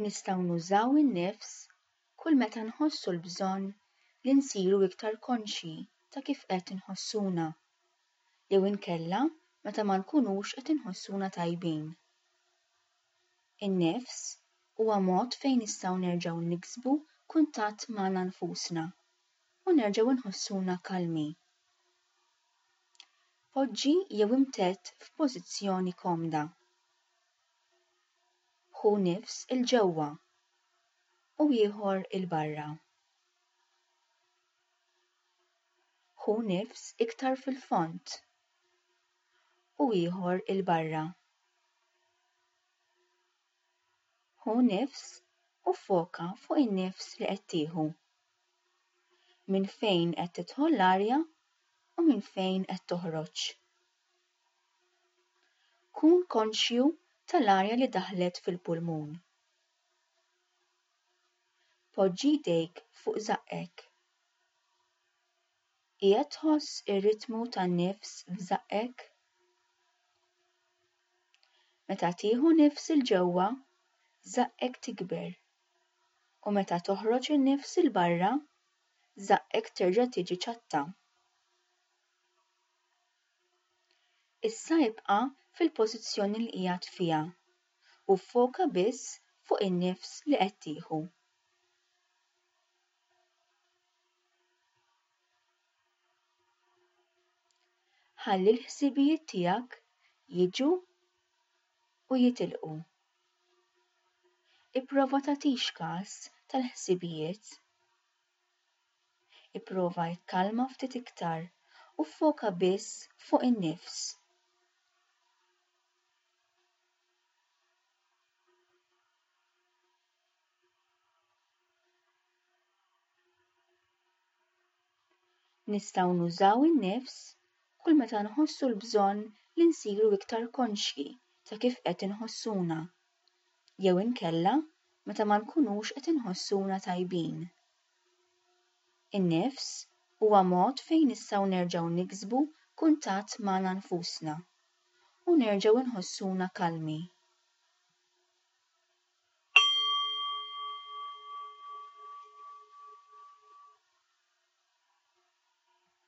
Nistgħu nużaw in-nifs kull meta nħossu l-bżonn li nsiru iktar konxji ta' kif qed inħossuna, jew inkella meta ma nkunux qed inħossuna tajbin. In-nifs huwa mod fejn nistgħu nerġgħu niksbu kuntatt magħna nfusna u nerġgħu nħossuna kalmi. Poġġi jew imtedd f'pożizzjoni komda. Ħu nifs 'il ġewwa u ieħor 'il barra. Ħu nifs iktar fil-fond u ieħor 'il barra. Ħu nifs u ffoka fuq in-nifs li qed tieħu. Minn fejn qed tidħol l-arja u minn fejn qed toħroġ. Kun konxju tal-arja li daħlet fil-pulmun. Poġġi jdejk fuq żaqqek. Qiegħed tħoss ir-ritmu tan-nifs f'żaqqek? Meta tieħu nifs 'il ġewwa, żaqqek tikber u meta toħroġ in-nifs 'il barra, żaqqek terġa' tiġi ċatta. Issa ibqa' fil-pożizzjoni li qiegħed fiha u ffoka biss fuq in-nifs li qed tieħu. Ħalli l-ħsibijiet tiegħek jiġu u jitilqu. Ipprova tagħtix każ tal-ħsibijiet. Ipprova ikkalma ftit iktar u ffoka biss fuq in-nifs. Nistgħu nużaw in-nifs kull meta nħossu l-bżonn li nsiru iktar konxji ta' kif qed inħossuna, jew inkella meta ma nkunux qed inħossuna tajbin. In-nifs huwa mod fejn nistgħu nerġgħu niksbu kuntatt magħna nfusna u nerġgħu nħossuna kalmi.